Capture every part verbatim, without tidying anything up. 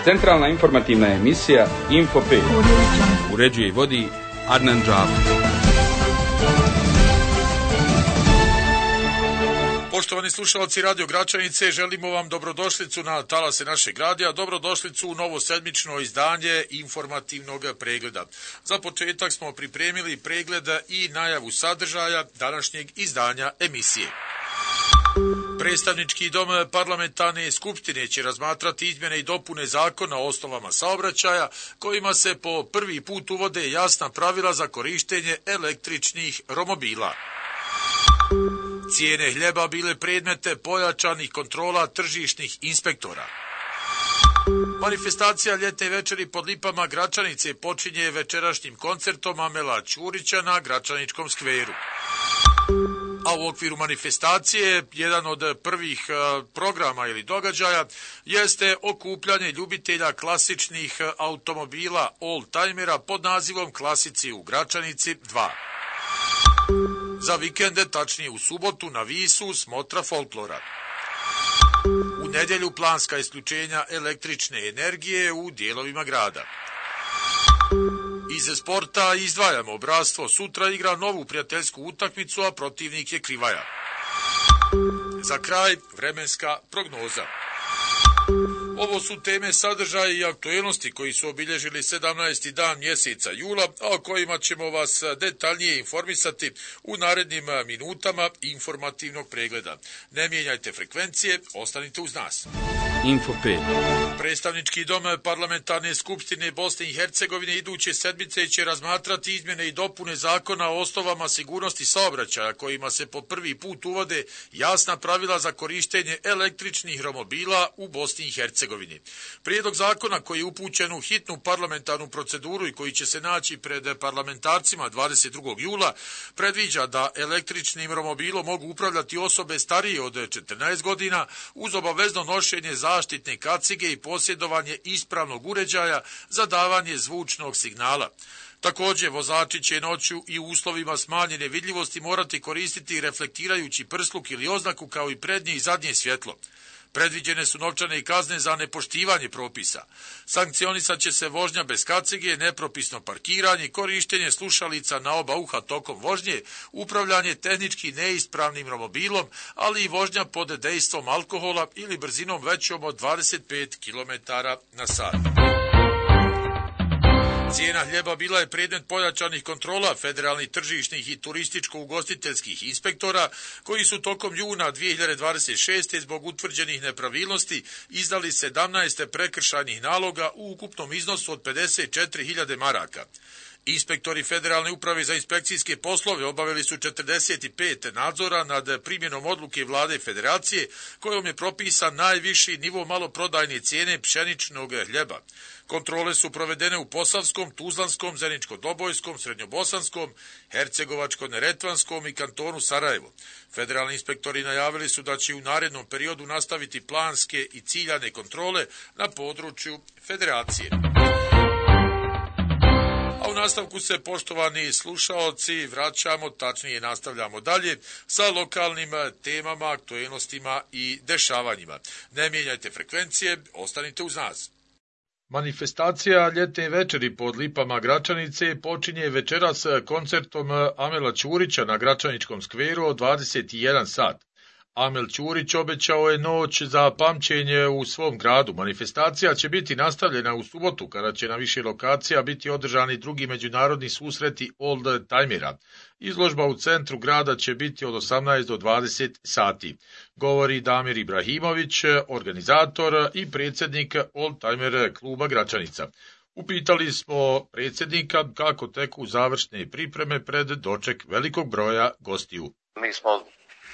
Centralna informativna emisija Info pet. Uređuje i vodi Adnan Džafić. Poštovani slušalci Radio Gračanice, želimo vam dobrodošlicu na talase našeg radija, dobrodošlicu u novo sedmično izdanje informativnog pregleda. Za početak smo pripremili pregled i najavu sadržaja današnjeg izdanja emisije. Predstavnički dom parlamentarne skupštine će razmatrati izmjene i dopune zakona o osnovama saobraćaja, kojima se po prvi put uvode jasna pravila za korištenje električnih romobila. Cijene hljeba bile predmete pojačanih kontrola tržišnih inspektora. Manifestacija ljetne večeri pod lipama Gračanice počinje večerašnjim koncertom Amela Ćurića na Gračaničkom skveru. A u okviru manifestacije jedan od prvih programa ili događaja jeste okupljanje ljubitelja klasičnih automobila oldtimera pod nazivom Klasici u Gračanici dva. Za vikende, tačnije u subotu, na Visu smotra folklora. U nedjelju planska isključenja električne energije u dijelovima grada. Iz sporta izdvajamo Bratstvo sutra igra novu prijateljsku utakmicu, a protivnik je Krivaja. Za kraj vremenska prognoza. Ovo su teme, sadržaje i aktuelnosti koji su obilježili sedamnaesti dan mjeseca jula, a o kojima ćemo vas detaljnije informisati u narednim minutama informativnog pregleda. Ne mijenjajte frekvencije, ostanite uz nas. Info pet. Predstavnički dom parlamentarne skupštine Bosne i Hercegovine iduće sedmice će razmatrati izmjene i dopune zakona o osnovama sigurnosti saobraćaja, kojima se po prvi put uvode jasna pravila za korištenje električnih romobila u Bosni i Hercegovini. Prijedlog zakona koji je upućen u hitnu parlamentarnu proceduru i koji će se naći pred parlamentarcima dvadeset drugog jula predviđa da električnim romobilom mogu upravljati osobe starije od četrnaest godina uz obavezno nošenje zaštitne kacige i posjedovanje ispravnog uređaja za davanje zvučnog signala. Također, vozači će noću i u uslovima smanjene vidljivosti morati koristiti reflektirajući prsluk ili oznaku kao i prednje i zadnje svjetlo. Predviđene su novčane kazne za nepoštivanje propisa. Sankcionisat će se vožnja bez kacige, nepropisno parkiranje, korištenje slušalica na oba uha tokom vožnje, upravljanje tehnički neispravnim romobilom, ali i vožnja pod dejstvom alkohola ili brzinom većom od dvadeset pet kilometara na sat. Cijena hljeba bila je predmet pojačanih kontrola federalnih tržišnih i turističko-ugostiteljskih inspektora, koji su tokom juna dvije hiljade dvadeset šeste zbog utvrđenih nepravilnosti izdali sedamnaest prekršajnih naloga u ukupnom iznosu od pedeset četiri hiljade maraka. Inspektori Federalne uprave za inspekcijske poslove obavili su četrdeset pet nadzora nad primjenom odluke Vlade Federacije, kojom je propisan najviši nivo maloprodajne cijene pšeničnog hljeba. Kontrole su provedene u Posavskom, Tuzlanskom, Zeničko-Dobojskom, Srednjobosanskom, Hercegovačko-Neretvanskom i kantonu Sarajevo. Federalni inspektori najavili su da će u narednom periodu nastaviti planske i ciljane kontrole na području Federacije. A u nastavku se, poštovani slušaoci, vraćamo, tačnije nastavljamo dalje sa lokalnim temama, aktuelnostima i dešavanjima. Ne mijenjajte frekvencije, ostanite uz nas. Manifestacija ljetne večeri pod lipama Gračanice počinje večeras koncertom Amela Ćurića na Gračaničkom skveru od dvadeset jedan sat. Amel Ćurić obećao je noć za pamćenje u svom gradu. Manifestacija će biti nastavljena u subotu, kada će na više lokacija biti održani drugi međunarodni susreti oldtimera. Izložba u centru grada će biti od osamnaest do dvadeset sati, govori Damir Ibrahimović, organizator i predsjednik oldtimer kluba Gračanica. Upitali smo predsjednika kako teku završne pripreme pred doček velikog broja gostiju. Mi smo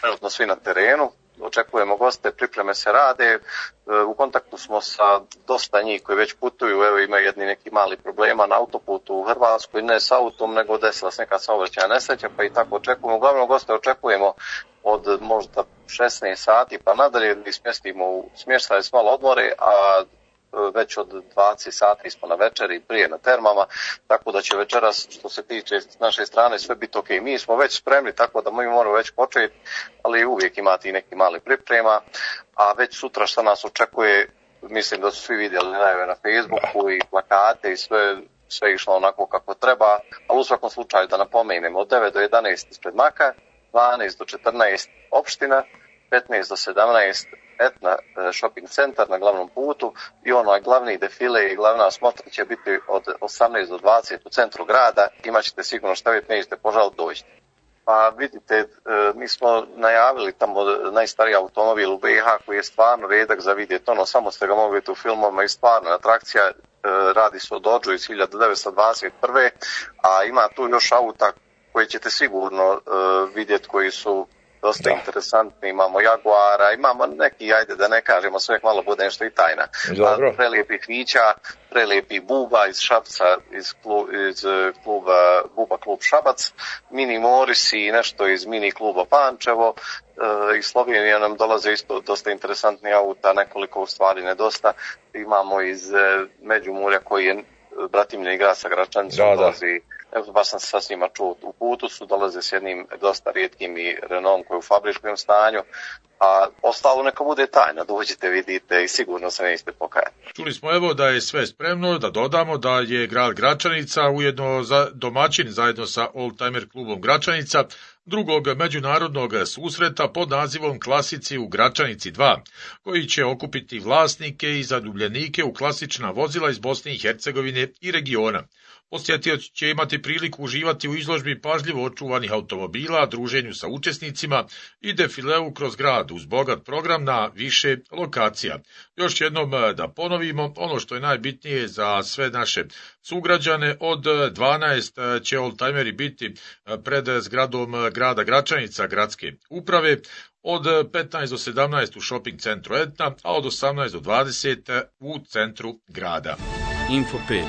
trenutno svi na terenu, očekujemo goste, pripreme se rade, u kontaktu smo sa dosta njih koji već putuju, evo ima jedni neki mali problema na autoputu u Hrvatskoj, ne s autom, nego desila se neka saobraćajna nesreća, pa i tako očekujemo. Uglavnom goste očekujemo od možda šesnaest sati pa nadalje, gdje smjestimo u smještaj s malo odmore, a već od dvadeset sati smo na večeri prije na termama, tako da će večeras što se tiče s naše strane sve biti ok. Mi smo već spremni, tako da mi moramo već početi, ali uvijek imati neki mali priprema, a već sutra što nas očekuje mislim da su svi vidjeli najave na Facebooku i plakate i sve, sve išlo onako kako treba, ali u svakom slučaju da napomenemo od devet do jedanaest ispred Maka, dvanaest do četrnaest opština, petnaest do sedamnaest Etna shopping centar na glavnom putu i onaj glavni defile i glavna smotra će biti od osamnaest do dvadeset u centru grada, imaćete sigurno šta vidjeti, nećete požaliti doći. Pa vidite, mi smo najavili tamo najstariji automobil u B iH koji je stvarno redak za vidjeti, ono samo ste ga mogli vidjeti u filmovima i stvarno atrakcija, radi se o Dodgeu iz hiljadu devetsto dvadeset prve. a ima tu još auta koje ćete sigurno vidjeti koji su dosta da. interesantni, imamo Jaguara, imamo neki, ajde da ne kažemo, sve malo bude nešto i tajna. Prelijepih Vića, prelijepih Buba iz Šapca, iz, klu, iz kluba Buba klub Šabac, Mini Moris i nešto iz mini kluba Pančevo. Iz Slovenije nam dolaze isto dosta interesantni auta, nekoliko u stvari nedosta. Imamo iz Međimurja koji je bratimljen grad sa Gračanicom, da, dolazi. Evo, baš sam se sa svima čuo. U putu su, dolaze s jednim dosta rijetkim i Renaultom koji je u fabričkom stanju, a ostalo neka bude tajna, dođite, vidite i sigurno se nećete pokajati. Čuli smo evo da je sve spremno, da dodamo da je grad Gračanica ujedno za domaćin zajedno sa Oldtimer klubom Gračanica drugog međunarodnog susreta pod nazivom Klasici u Gračanici dva, koji će okupiti vlasnike i zaljubljenike u klasična vozila iz Bosne i Hercegovine i regiona. Posjetioci će imati priliku uživati u izložbi pažljivo očuvanih automobila, druženju sa učesnicima i defileu kroz grad uz bogat program na više lokacija. Još jednom da ponovimo, ono što je najbitnije za sve naše sugrađane, od dvanaest će oldtimeri biti pred zgradom grada Gračanica, gradske uprave, od petnaest do sedamnaest u shopping centru Etna, a od osamnaest do dvadeset u centru grada. Info pet.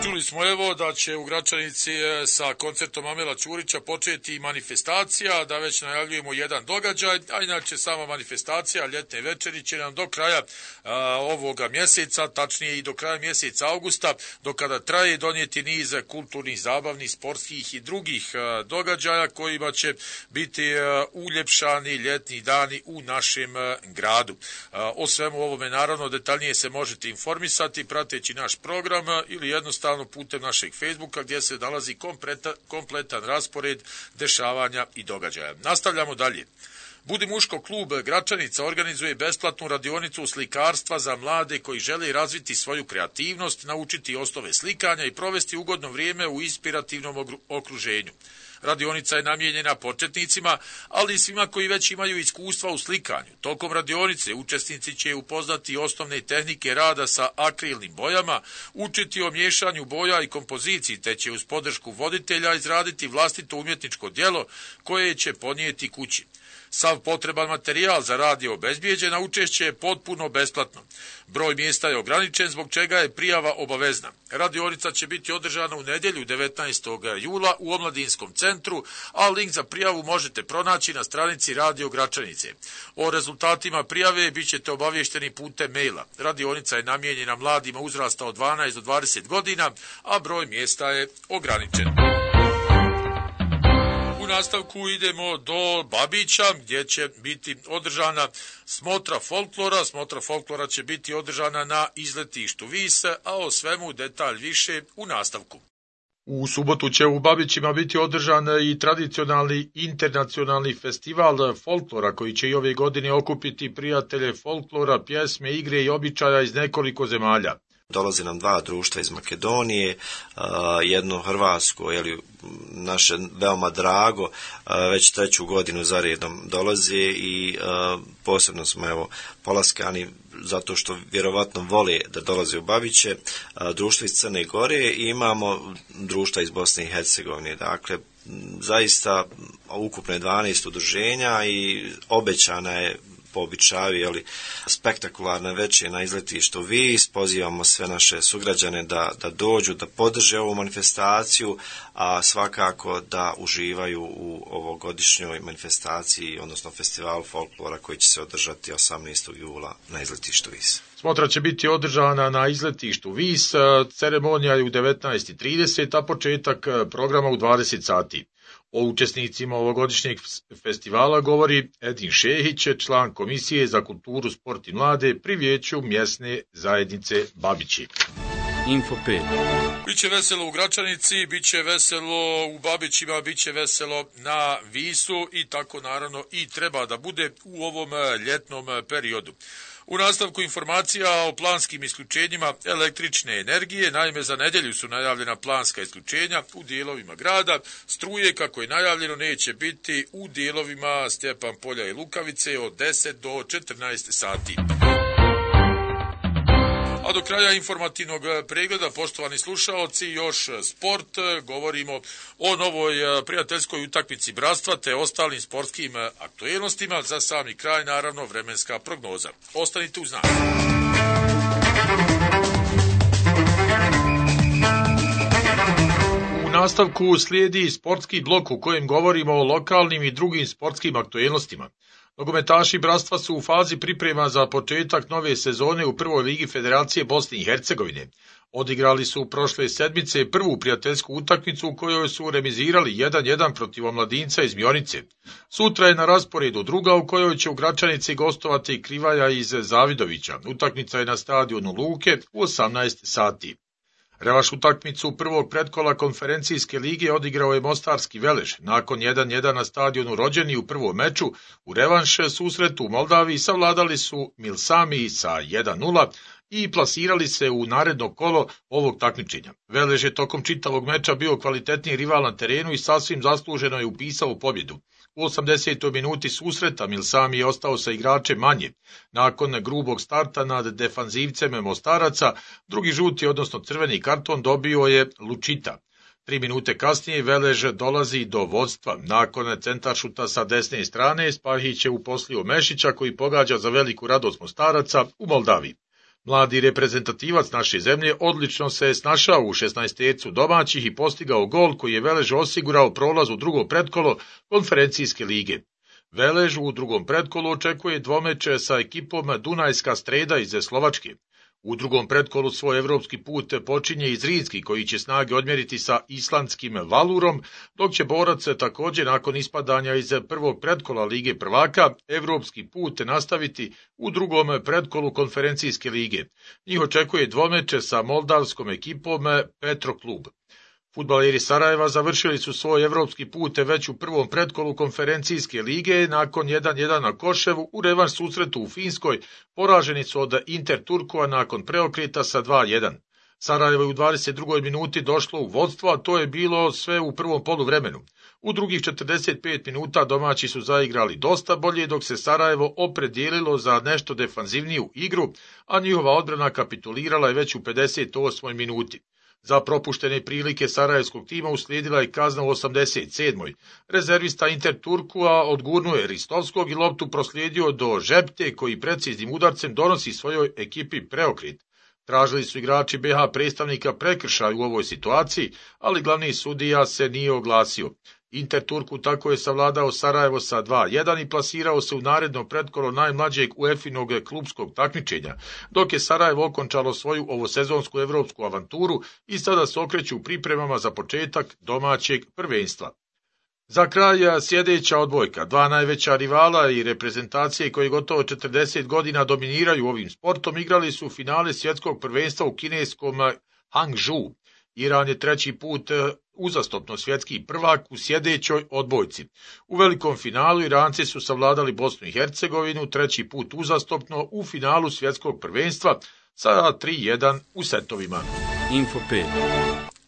Čuli smo evo da će u Gračanici sa koncertom Amela Ćurića početi manifestacija, da već najavljujemo jedan događaj, a inače sama manifestacija ljetne večeri će nam do kraja a, ovoga mjeseca, tačnije i do kraja mjeseca augusta, do kada traje, donijeti niz kulturnih, zabavnih, sportskih i drugih a, događaja kojima će biti a, uljepšani ljetni dani u našem a, gradu. A, o svemu ovome naravno detaljnije se možete informisati prateći naš program ili jednostavno putem našeg Facebooka gdje se nalazi kompletan, kompletan raspored dešavanja i događaja. Nastavljamo dalje. Budi muško klub Gračanica organizuje besplatnu radionicu slikarstva za mlade koji žele razviti svoju kreativnost, naučiti osnove slikanja i provesti ugodno vrijeme u inspirativnom okruženju. Radionica je namijenjena početnicima, ali i svima koji već imaju iskustva u slikanju. Tokom radionice učesnici će upoznati osnovne tehnike rada sa akrilnim bojama, učiti o miješanju boja i kompoziciji, te će uz podršku voditelja izraditi vlastito umjetničko djelo koje će ponijeti kući. Sav potreban materijal za rad je obezbijeđen, a učešće je potpuno besplatno. Broj mjesta je ograničen, zbog čega je prijava obavezna. Radionica će biti održana u nedjelju devetnaestog jula u Omladinskom centru, a link za prijavu možete pronaći na stranici Radio Gračanice. O rezultatima prijave bit ćete obavješteni putem maila. Radionica je namijenjena mladima uzrasta od dvanaest do dvadeset godina, a broj mjesta je ograničen. U nastavku idemo do Babića gdje će biti održana smotra folklora. Smotra folklora će biti održana na izletištu Vis, a o svemu detalj više u nastavku. U subotu će u Babićima biti održan i tradicionalni internacionalni festival folklora koji će i ove godine okupiti prijatelje folklora, pjesme, igre i običaja iz nekoliko zemalja. Dolazi nam dva društva iz Makedonije, jedno hrvatsko, je li naše veoma drago, već treću godinu za redom dolazi i posebno smo evo polaskani zato što vjerovatno vole da dolaze u Babiće, društvo iz Crne Gore i imamo društva iz Bosne i Hercegovine. Dakle, zaista ukupno je dvanaest udruženja i obećana je po običaju, jeli, spektakularna večer na izletištu Vis. Pozivamo sve naše sugrađane da, da dođu, da podrže ovu manifestaciju, a svakako da uživaju u ovogodišnjoj manifestaciji, odnosno festivalu folklora koji će se održati osamnaestog jula na izletištu Vis. Smotra će biti održana na izletištu Vis, ceremonija je u devetnaest i trideset, a početak programa u dvadeset sati. O učesnicima ovogodišnjeg festivala govori Edin Šehić, član Komisije za kulturu, sport i mlade pri vijeću mjesne zajednice Babići. Info pet. Biće veselo u Gračanici, biće veselo u Babićima, biće veselo na Visu i tako naravno i treba da bude u ovom ljetnom periodu. U nastavku informacija o planskim isključenjima električne energije, naime za nedjelju su najavljena planska isključenja u dijelovima grada, struje kako je najavljeno neće biti u dijelovima Stjepan Polja i Lukavice od deset do četrnaest sati. A do kraja informativnog pregleda, poštovani slušaoci, još sport, govorimo o novoj prijateljskoj utakmici bratstva te ostalim sportskim aktualnostima. Za sami kraj, naravno, vremenska prognoza. Ostanite uz nas. U nastavku slijedi sportski blok u kojem govorimo o lokalnim i drugim sportskim aktualnostima. Nogometaši bratstva su u fazi priprema za početak nove sezone u prvoj ligi Federacije Bosne i Hercegovine. Odigrali su prošle sedmice prvu prijateljsku utakmicu u kojoj su remizirali jedan jedan protiv Omladinca iz Mionice. Sutra je na rasporedu druga u kojoj će u Gračanici gostovati Krivaja iz Zavidovića. Utakmica je na stadionu Luke u osamnaest sati. Revaš utakmicu prvog pretkola konferencijske lige odigrao je Mostarski Velež. Nakon jedan jedan na stadionu Rođeni u prvom meču, u revanš susretu u Moldaviji savladali su Milsami sa jedan nula i plasirali se u naredno kolo ovog takmičenja. Velež je tokom čitavog meča bio kvalitetniji rival na terenu i sasvim zasluženo je upisao pobjedu. U osamdesetoj minuti susreta Milsami je ostao sa igračem manje. Nakon grubog starta nad defanzivcem Mostaraca, drugi žuti, odnosno crveni karton dobio je Lučita. Tri minute kasnije Velež dolazi do vodstva. Nakon centaršuta sa desne strane, Spahić je uposlio Mešića koji pogađa za veliku radost Mostaraca u Moldaviji. Mladi reprezentativac naše zemlje odlično se je snašao u šesnaestercu domaćih i postigao gol koji je Velež osigurao prolaz u drugo pretkolo konferencijske lige. Velež u drugom pretkolu očekuje dvomeče sa ekipom Dunajska Streda iz Slovačke. U drugom pretkolu svoj evropski put počinje i Zrinski koji će snage odmjeriti sa islandskim Valurom, dok će borac također nakon ispadanja iz prvog pretkola Lige prvaka evropski put nastaviti u drugom pretkolu konferencijske lige. Njih očekuje dvomeče sa moldavskom ekipom Petroklub. Fudbaleri Sarajeva završili su svoj evropski put već u prvom pretkolu konferencijske lige. Nakon jedan jedan na Koševu u revanš susretu u Finskoj poraženi su od Inter Turkova nakon preokreta sa dva jedan. Sarajevo je u dvadeset drugoj minuti došlo u vodstvo, a to je bilo sve u prvom poluvremenu. U drugih četrdeset pet minuta domaći su zaigrali dosta bolje, dok se Sarajevo opredijelilo za nešto defanzivniju igru, a njihova odbrana kapitulirala je već u pedeset osmoj minuti. Za propuštene prilike sarajevskog tima uslijedila je kazna u osamdeset sedmoj. Rezervista Inter Turkua odgurnuo je Ristovskog i loptu proslijedio do Žepte koji preciznim udarcem donosi svojoj ekipi preokret. Tražili su igrači be ha predstavnika prekršaj u ovoj situaciji, ali glavni sudija se nije oglasio. Inter Turku tako je savladao Sarajevo sa dva jedan i plasirao se u naredno pretkolo najmlađeg UEFA-inog klubskog takmičenja, dok je Sarajevo okončalo svoju ovosezonsku evropsku avanturu i sada se okreću u pripremama za početak domaćeg prvenstva. Za kraj sljedeća odbojka. Dva najveća rivala i reprezentacije koji gotovo četrdeset godina dominiraju ovim sportom igrali su finale svjetskog prvenstva u kineskom Hangzhou. Iran je treći put uzastopno svjetski prvak u sljedećoj odbojci. U velikom finalu Iranci su savladali Bosnu i Hercegovinu, treći put uzastopno u finalu svjetskog prvenstva sa tri jedan u setovima. Info pet.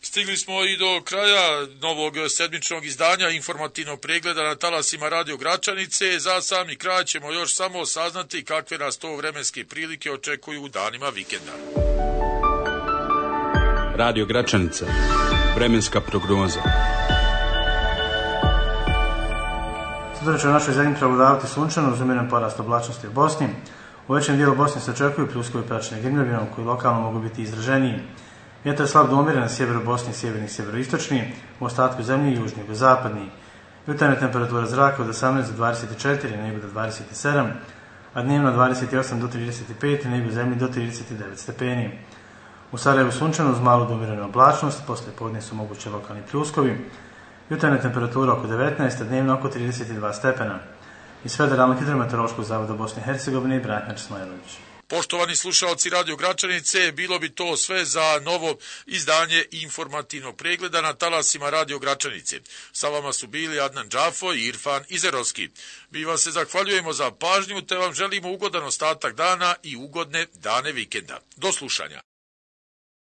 Stigli smo i do kraja novog sedmičnog izdanja informativnog pregleda na talasima Radio Gračanice. Za sami kraj ćemo još samo saznati kakve nas to vremenske prilike očekuju u danima vikenda. Radio Gračanica. Vremenska prognoza. Sutra će u našoj zemlji prevladavati sunčano uz umjeren porast oblačnosti u Bosni. U većem dijelu Bosne se očekuju pljuskovi praćene grmljavinom koji lokalno mogu biti izraženiji. Vjetar je slab do umjeren na sjeveru Bosne i sjeverni i sjeveroistočni, u ostatku zemlje južni i zapadni. Jutarnja temperatura zraka od osamnaest do dvadeset četiri, na jugu do dvadeset sedam, a dnevno od dvadeset osam do trideset pet, na jugu zemlje do trideset devet stepeni. U Sarajevu sunčano uz malu do umjerenu oblačnost, poslije podne su moguće lokalni pljuskovi. Jutarnja temperatura oko devetnaest, a dnevno oko trideset dva stepena. Iz Federalnog hidrometeorološkog zavoda Bosne i Hercegovine, Branimir Smajlović. Poštovani slušalci Radio Gračanice, bilo bi to sve za novo izdanje informativnog pregleda na talasima Radio Gračanice. Sa vama su bili Adnan Džafo i Irfan Izerovski. Mi vam se zahvaljujemo za pažnju te vam želimo ugodan ostatak dana i ugodne dane vikenda. Do slušanja.